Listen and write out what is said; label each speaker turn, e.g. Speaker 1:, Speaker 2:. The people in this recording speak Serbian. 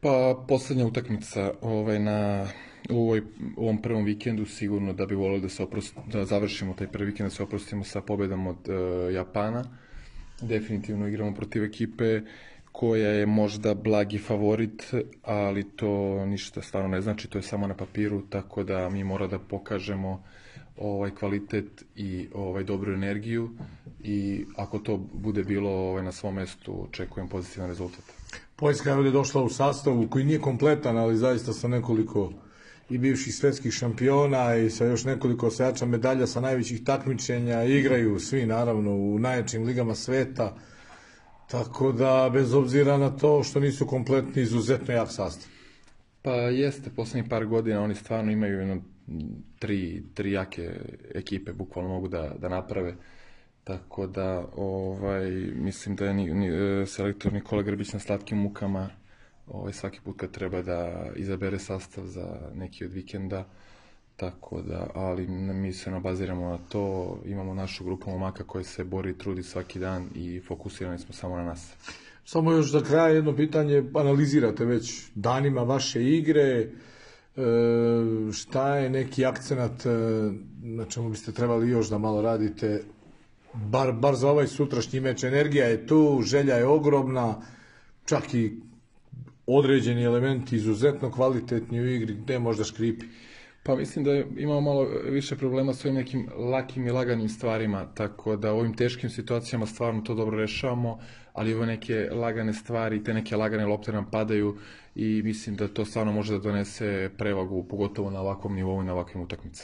Speaker 1: Pa poslednja utakmica u ovom prvom vikendu sigurno da bi voleli da završimo taj prvi vikend, da se oprostimo sa pobedom od Japana. Definitivno igramo protiv ekipe koja je možda blagi favorit, ali to ništa stvarno ne znači, to je samo na papiru, tako da mi mora da pokažemo kvalitet i dobru energiju i ako to bude bilo na svom mestu, očekujem pozitivan rezultat.
Speaker 2: Poljska je ovdje došla u sastavu koji nije kompletan, ali zaista sa nekoliko i bivših svetskih šampiona i sa još nekoliko osvajača medalja sa najvećih takmičenja. Igraju svi naravno u najjačim ligama sveta, tako da bez obzira na to što nisu kompletni, izuzetno jak sastav.
Speaker 1: Pa jeste, poslednjih par godina oni stvarno imaju tri jake ekipe, bukvalno mogu da naprave. Tako da mislim da je selektor Nikola Grbić na slatkim mukama svaki put kad treba da izabere sastav za neki od vikenda. Tako da, ali mi se baziramo na to, imamo našu grupu momaka koja se bori i trudi svaki dan i fokusirani smo samo na nas.
Speaker 2: Samo još za kraj jedno pitanje, analizirate već danima vaše igre, šta je neki akcenat na čemu biste trebali još da malo radite, bar za ovaj sutrašnji meč? Energija je tu, želja je ogromna, čak i određeni elementi izuzetno kvalitetni u igri, gde možda škripi?
Speaker 1: Pa mislim da imamo malo više problema s ovim nekim lakim i laganim stvarima, tako da u ovim teškim situacijama stvarno to dobro rešavamo, ali ove neke lagane stvari, te neke lagane lopte nam padaju i mislim da to stvarno može da donese prevagu, pogotovo na ovakvom nivou i na ovakvim utakmicama.